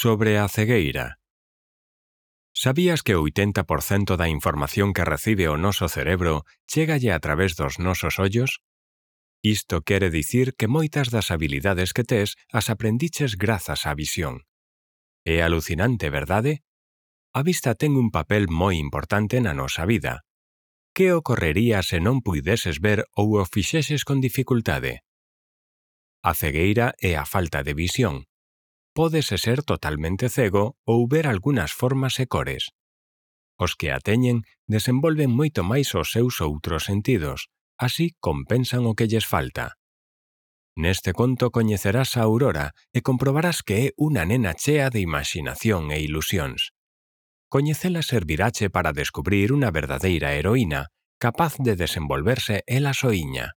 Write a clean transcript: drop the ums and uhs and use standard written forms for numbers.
Sobre a cegueira. Sabías que o 80% da información que recibe o noso cerebro chégalle a través dos nosos ollos? Isto quere dicir que moitas das habilidades que tes as aprendiches grazas á visión. É alucinante, verdade? A vista ten un papel moi importante na nosa vida. Que ocorrería se non puideses ver ou o fixeses con dificultade? A cegueira é a falta de visión. Pódese ser totalmente cego ou ver algunhas formas e cores. Os que a teñen desenvolven moito máis os seus outros sentidos, así compensan o que lles falta. Neste conto coñecerás a Aurora e comprobarás que é unha nena chea de imaxinación e ilusións. Coñecela servirache para descubrir unha verdadeira heroína, capaz de desenvolverse ela soíña.